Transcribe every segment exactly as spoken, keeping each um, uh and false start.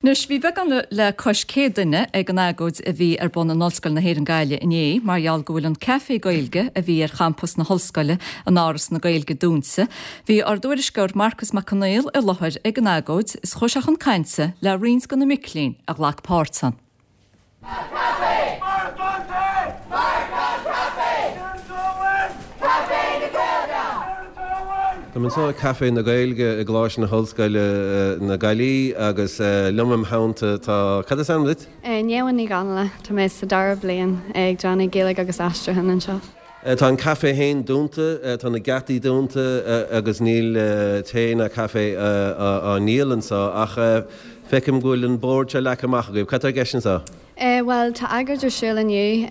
Anois bhí beagán le cois céad duine ag an agóid a bhí ar bun in Ollscoil na hÉireann Gaillimh inné mar gheall go bhfuil an caife Gaeilge a bhí ar champas na hollscoile in Áras na Gaeilge dúnta. Bhí ár dtuairisceoir Marcas Mac Conghail i láthair ag an agóid is chuaigh sé chun cainte le roinnt de na mic léinn a ghlac páirt ann. Café! Café na Gaeilge! Tá anseo Café na Gaeilge i gColáiste na hOllscoile na Gaillimhe agus liom im theannta tá cad is ainm duit? Néhhain ní ganla tá mé sa dara bliain ag déanamh Gaeilge agus aistriúchán anseo. Tá an caife féin dúnta, tá na geataí dúnta agus níl tae ná caife á ndíol anseo ach feicim go bhfuil an bord seo leagtha amach agaibh. Cad tá i gceist anseo? Bhuel tá agóid ar siúl inniu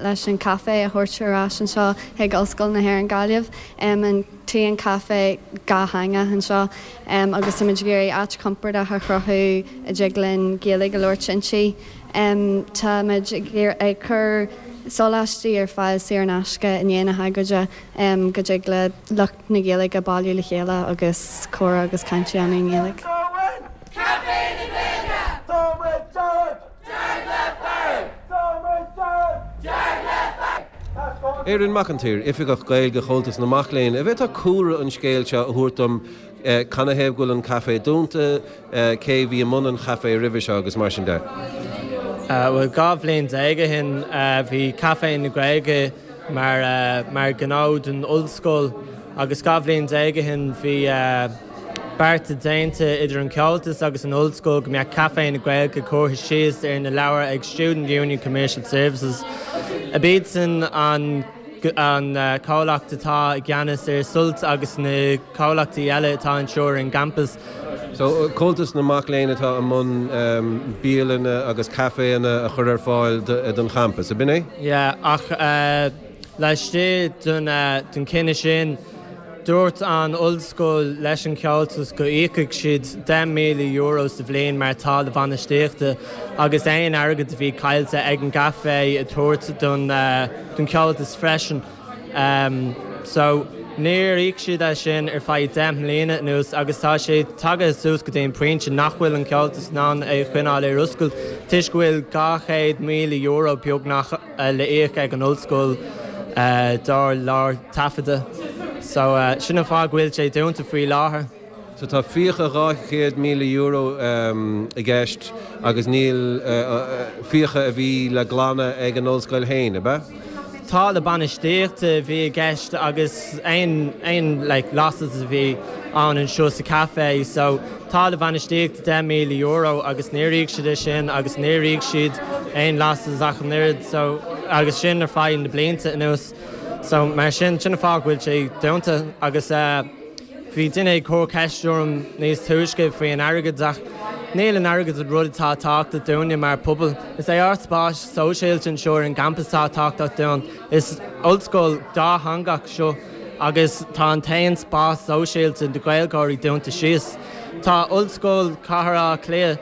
leis an caife a thabhairt ar ais anseo chuig Ollscoil na hÉireann Gaillimh an t-aon caife dátheangach anseo agus táimid ag iarraidh áit compordach a chruthú a dtig linn Gaeilge a labhairt inti. Táimid ag cur sóláistí ar fáil saor in aisce i ndiaidh na hagóide go dtig le lucht na Gaeilge bailiú le chéile agus comhrá agus caint a dhéanamh i nGaeilge. Café na Gaeilge! Dearg le fearg! Dearg le fearg! Erin McEntee, Oifigeach Gaeilge Chomhaltas na Mac Léinn, an bhféadfá cúlra an scéil seo a thabhairt dom canathaobh go bhfuil an caife dúnta, cé bhí i mbun an chaife roimhe seo agus mar sin de. Bhuel dhá bhliain déag ó shin bhí Café na Gaeilge mar mar ghnó don ollscoil agus dhá bhliain déag ó shin bhí bearta déanta idir an Comhaltas agus an ollscoil go mbeadh Café na Gaeilge curtha síos ar na leabhair ag Student Union Commercial Services. Ab iadsan an an comhlacht atá i gceannas ar Sult agus na comhlachtaí eile atá anseo ar an gcampas. So Comhaltas na Mac Léinn atá i mbun bialanna agus caiféanna a chur ar fáil don champas, ab in é? Yeah, ach laistigh den den cinneadh sin, dúirt an ollscoil leis an Chomhaltas go íocfadh siad deich míle euro sa bhliain mar táille bhainistíochta agus aon airgead a bhí caillte ag an gcaife a thabhairt don don Chomhaltas freisin. Um, so níor íoc siad é sin ar feadh deich mbliana anuas agus tá sé tagtha suas go dtí an pointe nach bhfuil an Comhaltas in ann é choinneáil ar oscailt toisc go bhfuil dhá chéad míle euro beagnach le íoc ag an ollscoil dár lár taifeadta. So uh, sin an fáth go bhfuil sé dúnta faoi láthair. So tá fiacha dhá chéad míle euro i gceist agus níl fiacha a bhí le glanadh ag an ollscoil féin, ab ea? Táille bainistíochta a bhí i gceist agus aon aon like, losses a bhí ann anseo sa caife, so táille bainistíochta deich míle euro agus níor íoc siad é sin agus níor íoc siad aon losses ach an oiread so agus sin ar feadh na blianta anuas. So mar sin sin an fáth go bhfuil sé dúnta agus uh, bhí duine ag cur ceist orm níos túisce faoi an airgead ach níl an airgead an rud atá tábhachtach dúinne mar pobal. Is é ár spás sóisialta anseo ar an gcampas atá tábhachtach dúinn. Is ollscoil dátheangach seo agus tá an t-aon spás sóisialta do Ghaeilgeoirí dúnta síos. Tá Ollscoil Chathair Átha Cliath,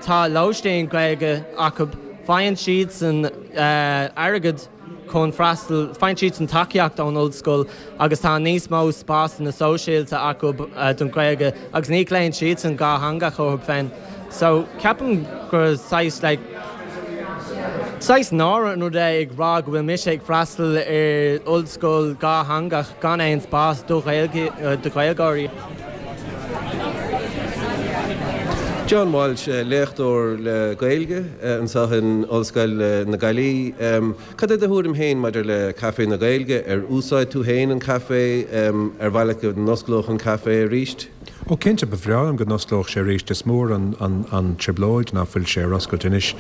tá lóistín Gaeilge acu, faigheann siad san uh, airgead chun freastal faigheann siad san tacaíocht ón ollscoil agus tá níos mó spásanna sóisialta acu uh, don Ghaeilge agus ní ghlaonn siad san dátheangach orthu féin. So ceapaim gur saghas like, saghas náire an rud é ag rá go bhfuil mise ag freastal ar ollscoil dátheangach gan aon spás do Ghaeilge do Ghaeilgeoirí. John Walsh, léachtóir le Gaeilge anseo in Ollscoil na Gaillimhe. Cad é do thuairim féin maidir le Café na Gaeilge ar úsáid tú féin an caife ar mhaith leat go n-osclódh an caife arís? Ó cinnte ba bhreá liom go n-osclódh sé arís is mór an, an, an trioblóid nach bhfuil sé ar oscailt anois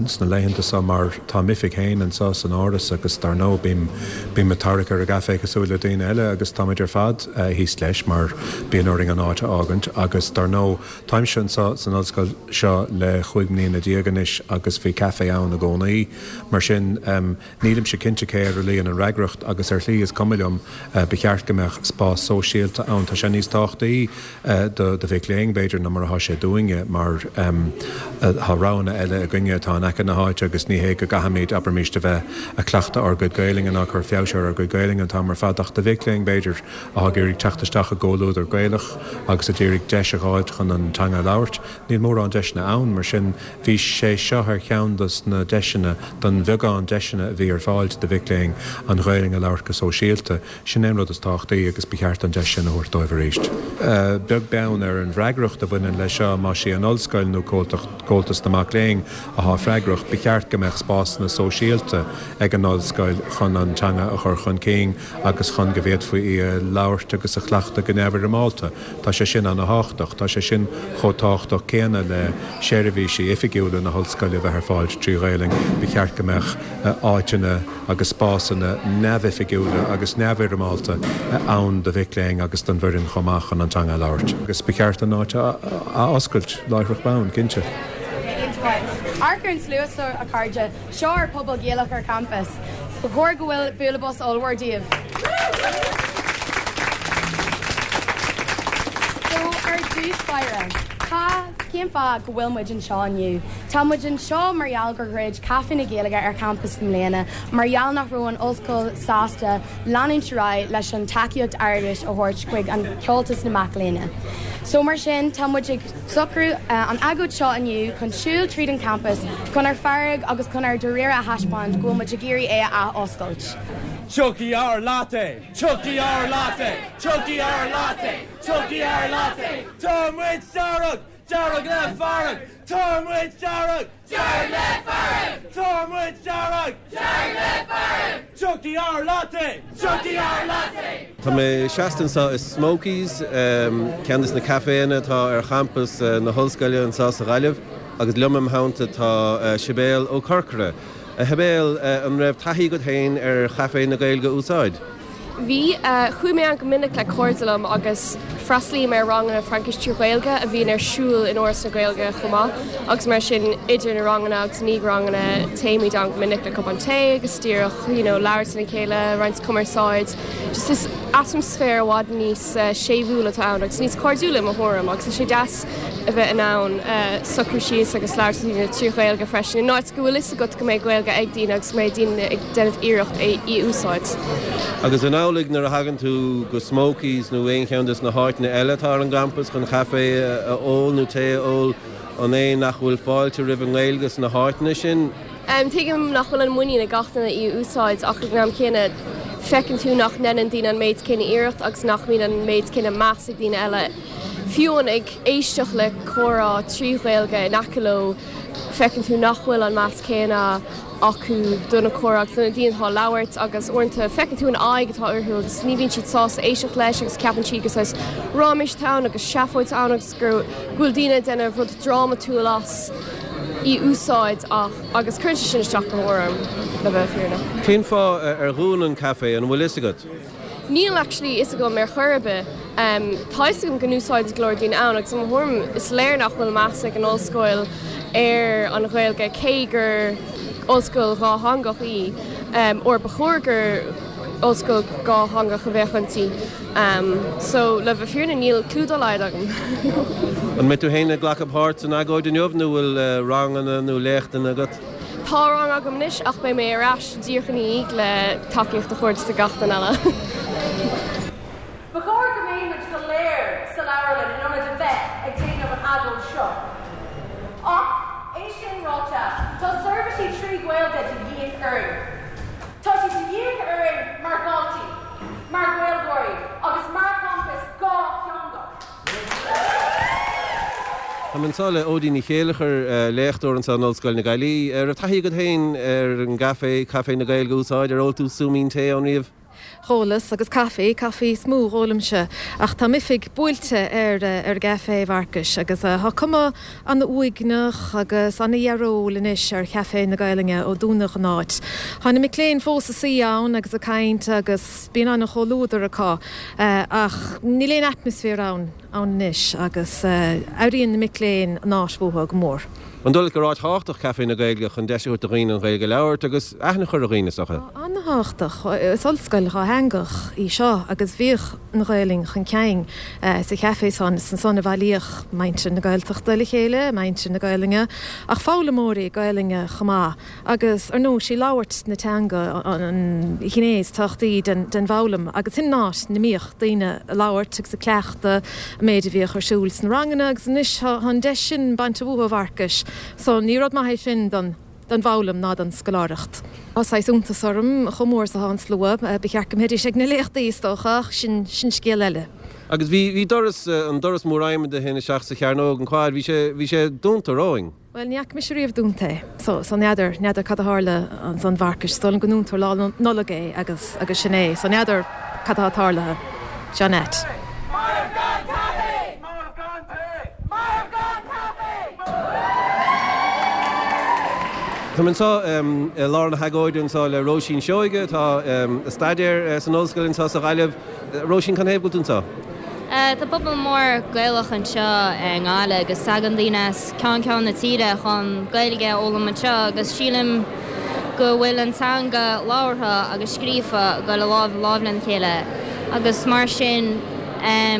sna laethanta seo mar tá m'oifig féin anseo san áras agus dar ndóigh bím bím ag tarrac ar an gcaife cosúil le daoine eile agus táimid ar fad thíos leis mar bíonn orainn an áit a fhágaint agus dar ndóigh táimse anseo san ollscoil seo le chúig mbliana déag anois agus bhí caife ann i gcónaí mar sin um, nílimse cinnte cé ar a luíonn an fhreagracht agus ar shlí is cuma liom ba cheart go mbeadh spás sóisialta ann tá sé níos tábhachtaí do do mhic léinn b'fhéidir ná mar atá sé dúinne mar tá roghanna eile againne atá in aice na háite agus ní hé go gcaithfimid abraimis a bheith ag cleachtadh ár gcuid Gaelainne ná cur feabhas ar ár gcuid Gaelainne an t-am ar fad ach do mhic léinn b'fhéidir atá ag iarraidh teacht isteach i gcomhluadar Gaelach agus a d'iarraidh deis a fháilt chun an teanga a labhairt. Níl mórán deiseanna ann mar sin bhí sé seo ar cheann dos na deiseanna don bheagán deiseanna a bhí ar fáil do mhic léinn an Ghaelainn a labhairt go sóisialta. Sin é an rud is tábhachtaí agus ba cheart an deis sin a thabhairt dóibh arís. Beag beann ar an bhfreagracht a bhaineann leis seo más í an ollscoil nó Comhaltas na Mac Léinn atá freagrach, ba cheart go mbeadh spásanna sóisialta ag an ollscoil chun an teanga a chur chun cinn agus chun go bhféadfaí í a labhairt agus a chleachtadh go neamhfhoirmeálta. Tá sé sin an-tábhachtach, tá sé sin chomh tábhachtach céanna le seirbhísí oifigiúla na hollscoile a bheith ar fáil trí Ghaelainn. Ba cheart go mbeadh áiteanna agus spásanna neamhoifigiúla agus neamhfhoirmeálta ann do mhic léinn agus don bhfoireann chomh maith chun an teanga a labhairt. Agus ba cheart an áit a oscailt láithreach bonn, cinnte. Amharc ar an slua seo a chairde, seo ár pobal Gaelach ar campus. Ba chóir go bhfuil bualadh bos ollmhór daoibh. So ar dtús báire, cá cén fáth go bhfuil muid anseo inniu? Tá muid anseo mar gheall gur dhruid Caife na Gaeilge ar champas i mbliana, mar gheall nach raibh an ollscoil sásta leanúint ar aghaidh leis an tacaíocht airgeadais a thabhairt chuig an Chomhaltas na Mac Léinn. So mar sin tá muid ag socrú an agóid seo inniu chun siúl tríd an campas chun ár fearg agus chun ár dáiríre a thaispeáint go bhfuil muid ag iarraidh é a athoscailt. Tiocfaidh ár latte, Tiocfaidh ár latte, Tiocfaidh ár latte, Tiocfaidh ár latte, Tá muid dearg, dearg le fearg, Tá muid dearg, dearg le fearg, Tá muid dearg, dearg le fearg, Tiocfaidh ár latte, Tiocfaidh ár latte. Tá mé seasta anseo i Smokey's, ceann de na caiféanna atá ar champas na hollscoile anseo sa Ghaillimh, agus liom im theannta tá Sibéal Ó Corcora. A Shibéal, an raibh taithí agat féin ar Chaifé na Gaeilge a úsáid? Bhí. Chuaigh mé ann go minic le cairde liom agus freastalaím ar ranganna Fraincis trí Ghaeilge a bhíonn ar siúl in Áras na Gaeilge chomh maith agus mar sin idir na ranganna agus i ndiaidh ranganna téimid ann go minic le cupán tae agus díreach you know labhairt lena chéile, roinnt cumarsáid. Just is atmaisféar i bhfad níos séimhiúla atá ann agus níos cairdiúla i mo thuairim agus tá sé deas a bheith in ann socrú síos agus labhairt le daoine trí Ghaeilge freisin in áit go bhfuil fhios agat go mbeidh Gaeilge ag daoine agus go mbeidh daoine ag déanamh iarracht í a úsáid. Agus an amhlaidh nuair a thagann tú go Smokey's nó aon cheann de na háiteanna eile atá ar an gcampas chun caife a ól nó tae a ól, an é nach bhfuil fáilte roimh an nGaeilge sna háiteanna sin? Tuigim nach bhfuil an muinín ag gach duine í a úsáid ach ag an am céanna feiceann tú nach ndéanann daoine an méid céanna iarracht agus nach mbíonn an méid céanna meas ag daoine eile. Fiú amháin ag éisteacht le comhrá trí Ghaeilge in aice leo, feiceann tú nach bhfuil an meas céanna acu do na comhrá agus do na daoine atá ag labhairt agus uaireanta feiceann tú an aghaidh atá orthu agus ní bhíonn siad sásta éisteacht leis agus ceapann siad gur saghas ráiméis atá ann agus seafóid ann agus go bhfuil daoine ag déanamh rud drámatúil as í úsáid ach agus cuireann sé sin isteach go mór orm le bheith fírinneach. Cén fáth ar dhún an caife, an bhfuil fhios agat? Níl actually fhios agam ar chor ar bith. Tá fhios agam go n-úsáideann go leor daoine ann agus i mo thuairim is léir nach bhfuil meas ag an ollscoil ar an Ghaeilge cé gur ollscoil dhátheangach í, or ba chóir gur ollscoil dhátheangach a bheadh inti. So le bheith fírinneach níl clue dá laghad agam. An mbeidh tú féin ag glacadh páirt san agóid inniu nó bhfuil ranganna nó léachtanna agat? Tá rang agam anois ach beidh mé ar ais díreach ina dhiaidh le tacaíocht a thabhairt do gach duine eile. Ba chóir go mbeadh muid go léir sa leabharlann in ionad a bheith ag déanamh an agóid seo. Ach, é sin ráite, tá seirbhísí trí Ghaeilge de dhíth orainn. Tá sé de dhíth orainn mar dhaltaí, mar Ghaeilgeoirí agus mar champas dhátheangach. Táim anseo le Odí Ní Chéilleachair, léachtóir anseo in Ollscoil na Gaillimhe. An raibh taithí agat féin ar an gcaife, Caife na Gaeilge a úsáid? Ar ól tú súimín tae ann riamh? Dhólas agus caife, caife is mó a dhólaimse, ach tá m'oifig buailte ar ar an gcaife, a Mharcais, agus tá cuma an-uaigneach agus an-dhearóil anois ar Chaife na Gaelainne ó dúnadh an áit. Tá na mic léinn fós ag suí ann agus ag caint agus bíonn an-chomhluadar acu ach níl aon atmaisféar ann. ann anois agus airíonn na mic léinn an áit uathu go mór. An dóigh leat gur áit thábhachtach Caife na Gaeilge chun deis a thabhairt do dhaoine an Ghaeilge a labhairt agus aithne a chur ar dhaoine, is dócha? Tá ana-thábhachtach. Is ollscoil dhátheangach í seo agus bhíodh an Ghaelainn chun cinn sa chaifé san, is ansan a bhailíodh muintir na Gaeltachta le chéile, muintir na Gaelainne, ach foghlaimeoirí Gaelainne chomh maith. Agus ar ndóigh sí labhairt na teanga an ghné is tábhachtaí den den bhfoghlaim agus sin an áit 'na mbíodh daoine ag labhairt agus ag cleachtadh an méid a bhíodh ar siúl sna ranganna agus anois tá an deis sin bainte uathu a Mharcais so ní rud maith é sin don don bhfoghlaim ná don scoláireacht. Tá saghas iontas orm chomh mór is atá an slua, ba cheart go mbeidís ag na léachtaí is dócha ach sin sin scéal eile. Agus bhí bhí doras an doras mór adhmaid a théann isteach sa Chearnóg an Quad bhí sé bhí sé dúnta romhainn. Bhuel, ní fhaca mise riamh dúnta é, so, so n'fheadar, n'fheadar cad a tharla ansan Mharcais, is dóigh liom go ndúntar Lá Nollag é agus, agus sin é, so n'fheadar cad atá tarlaithe. Seo an ait. Marbh gan caife! Marbh gan tae! Marbh gan caife! Táim anseo i lár na hagóide anseo le Róisín Seoige atá ag staidéar san ollscoil anseo sa Ghaillimh. Róisín, cén thaobh go bhfuil tú anseo? Tá pobal mór Gaelach anseo i nGaillimh agus tagann daoine as ceann ceann na tíre chun Gaeilge a fhoghlaim anseo agus sílim go bhfuil an teanga labhartha agus scríofa ag dul lámh i lámh lena chéile agus mar sin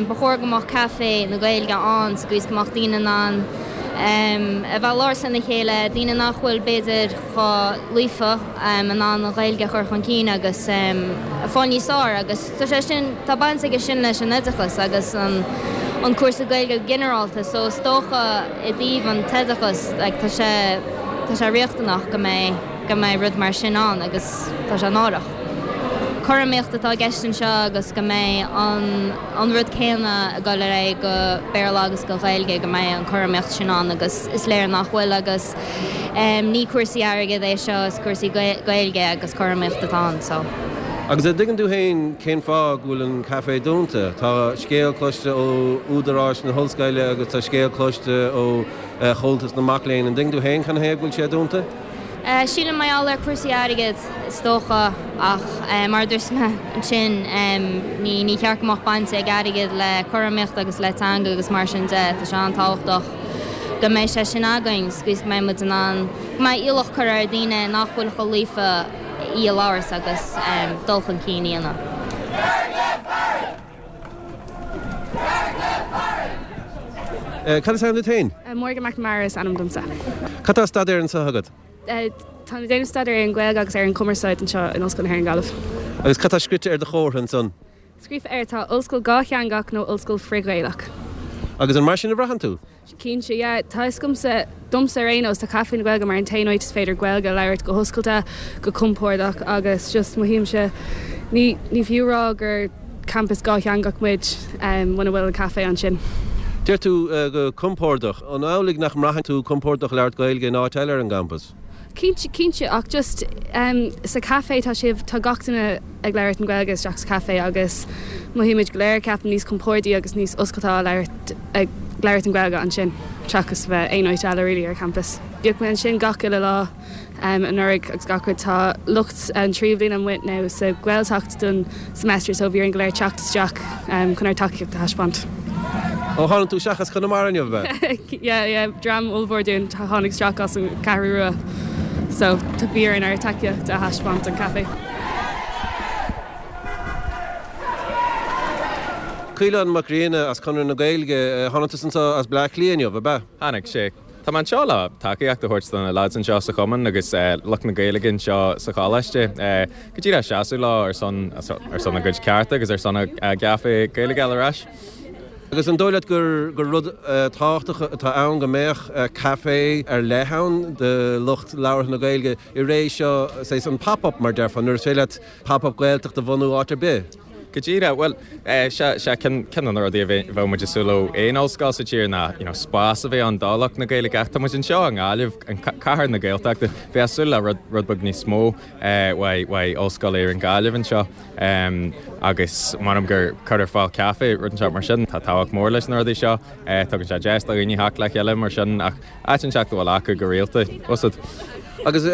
ba chóir go mbeadh caife na Gaeilge ann sa gcaoi is go mbeadh daoine in ann a bheith ag labhairt lena chéile, daoine nach bhfuil b'fhéidir chomh líofa in ann an Ghaeilge a chur chun cinn agus fáil níos fearr agus tá sé sin, tá baint aige sin leis an oideachas agus an an cúrsa Gaeilge go ginearálta so is dócha i dtaobh an t-oideachas like tá sé tá sé riachtanach go mbeidh go mbeidh rud mar sin ann agus tá sé náireach. Cothromaíocht atá i gceist anseo agus go mbeidh an an rud céanna ag dul ar aghaidh go Béarla agus go Gaeilge go mbeidh an cothromaíocht sin ann agus is léir nach bhfuil agus ní cúrsaí airgid é seo is cúrsaí Gaeilge agus cothromaíocht atá ann so. Agus an dtuigeann tú féin cén fáth go bhfuil an caifé dúnta? Tá scéal cloiste ó údaráis na hollscoile agus tá scéal cloiste ó Chomhaltas na Mac Léinn. An dtuigeann tú féin cén thaobh go bhfuil sé dúnta? Sílim mar gheall ar cúrsaí airgid is dócha ach mar a dúirt mé ansin ní ní cheart go mbeadh baint ag airgead le cothromaíocht agus le teanga agus mar sin de. Tá sé an-tábhachtach go mbeidh sé sin againn sa gcaoi is go mbeidh muid in ann go mbeidh iallach curtha ar daoine nach bhfuil chomh líofa í a labhairt agus dul chun cinn a dhéanamh. Cad is ainm duit féin? Morgan McNamara is ainm domsa. Cad tá á staidéar anseo agat? Táim ag déanamh staidéar ar an Ghaeilge agus ar an Chumarsáid anseo in Ollscoil na hÉireann Gaillimh. Agus cad tá scrite ar do chomhartha ansan? Scríofa air tá Ollscoil dhátheangach nó Ollscoil frith-Ghaelach. Agus an mar sin a bhraitheann tú? Cinnte, yeah. Tá fhios agamsa, domsa ar aon nós, tá Caife na Gaeilge mar an t-aon áit is féidir Gaeilge a labhairt go hoscailte, go compordach agus just mothaímse, ní, ní fiú rá gur campas dhátheangach muid muna bhfuil an caife ansin. Deir tú go compordach. An amhlaidh nach mbraitheann tú compordach ag labhairt Gaeilge in áit eile ar an gcampas? Cinnte, cinnte, ach just sa chaife tá sibh, tá gach duine ag labhairt an Ghaeilge isteach sa chaife agus mothaímid go léir, ceapaim, níos compordaí agus níos oscailte á labhairt, ag labhairt an Ghaeilge ansin seachas a bheith aon áit eile really ar campus. Bhíodh mé ansin gach uile lá. anuraidh agus gach rud. Tá lucht an tríú bhliain amuigh now sa Ghaeltacht don semester so bhí orainn go léir teacht isteach chun ár dtacaíocht a thaispeáint. Ó tháinig tú isteach as Conamara inniu, ab ea? Yeah, yeah, dream ollmhór dúinn a tháinig isteach as an Cheathrú Rua so bhí orainn ár dtacaíocht a thaispeáint don caife. Caolán Mac Grianna as Conradh na Gaeilge, tháinig tusa anseo as Bleá Cliath inniu, ab ea? Tháinig, sea. Tá mé anseo le tacaíocht a thabhairt do na lads anseo sa chumann agus lucht na Gaeilge anseo sa choláiste. Go díreach seasamh leo ar son ar son a gcuid cearta agus ar son a gcaife Gaeilge a fháil ar ais. Agus an dóigh leat gur gur rud tábhachtach atá ann go mbeadh caife ar leith ann do lucht labhartha na Gaeilge i ré seo, saghas an pop-up mar déarfá, nuair is féidir leat pop-up Gaeltacht a bhunú áit ar bith? Go díreach, bhuel, sea, sea, ceann de na rudaí a bheadh muid ag súil ó aon ollscoil sa tír ná, you know, spás a bheith ann do lucht na Gaeilge ach tá muid anseo i nGaillimh, an cathair na Gaeltachta, bheifeá ag súil le rud, rud beag níos mó uaidh, uaidh Ollscoil Éireann Gaillimh anseo agus m'anam gur cur ar fáil caife, rud inteacht mar sin, tá tábhacht mór leis na rudaí seo, tugann sé deis do dhaoine theacht le chéile mar sin ach áit inteacht a bhfuil acu go rialta, úsáid. Agus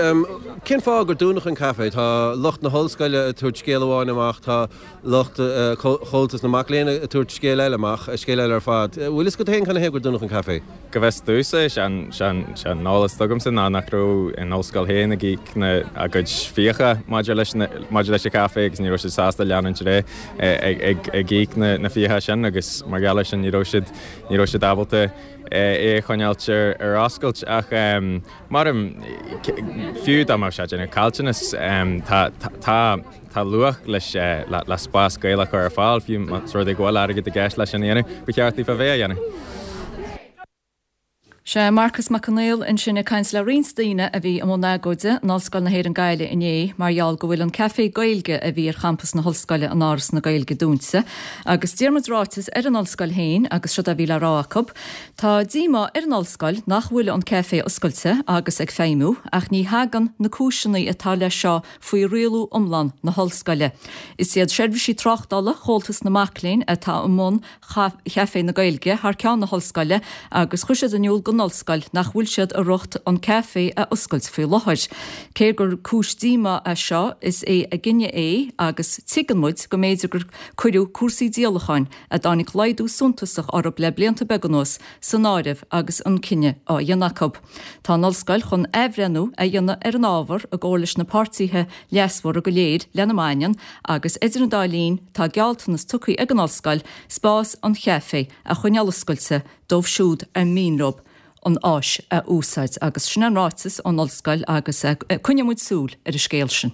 cén fáth gur dúnadh an caife? Tá lucht na hollscoile ag tabhairt scéal amháin amach, tá lucht Chomhaltas na Mac Léinn ag tabhairt scéal eile amach, scéal eile ar fad. Bhfuil fhios agat féin canathaobh gur dúnadh an caife? Go bhfios domhsa, is é an eolas atá agamsa ná nach raibh an ollscoil féin ag íoc a gcuid fiacha maidir leis maidir leis an chaife agus ní raibh siad sásta leanúint ar aghaidh ag íoc na fiacha sin agus mar gheall air sin ní raibh siad ní raibh siad ábalta é a choinneáilt ar oscailt ach mar fiú dá mbeadh sé ag déanamh caillteanas tá tá tá luach leis le spás Gaelach a chur ar fáil fiú más rud é go bhfuil airgead i gceist leis sin a dhéanamh, ba cheart daofa bheith á dhéanamh. Sé Marcas Mac Conghail ansin ag caint le roinnt daoine a bhí i mbun agóide in Ollscoil na hÉireann Gaillimh inné mar gheall go bhfuil an Café Gaeilge a bhí ar champas na hollscoile in Áras na Gaeilge dúnta. Agus d'iarr muid ráiteas ar an ollscoil féin agus seo a bhí le rá acu. Tá díomá ar an ollscoil nach bhfuil an caife oscailte agus ag feidhmiú ach ní thagann na cúiseanna atá leis seo faoi rialú iomlán na hollscoile. Is iad seirbhísí tráchtála Chomhaltas na Mac Léinn atá i mbun Chaifé na Gaeilge thar ceann na hollscoile agus chuir siad in iúl don ollscoil nach bhfuil siad i riocht an caife a oscailt faoi láthair. Cé gur cúis díomá é seo is é a gcinneadh é agus tuigeann muid go mb'fhéidir gur cuireadh cúrsaí díolacháin a dtáinig laghdú suntasach orthu le blianta beaga anuas san áireamh agus an cinneadh á dhéanamh acu. Tá an ollscoil chun athbhreithniú a dhéanamh ar an ábhar i gcomhar leis na páirtithe leasmhara go léir lena mbaineann agus idir an dá linn tá gealltanas tugtha ag an ollscoil spás an chaife a choinneáil oscailte dóibh siúd ar mian leo an áis a úsáid agus sin an ráiteas ón ollscoil agus coinneoidh muid súil ar an scéal sin.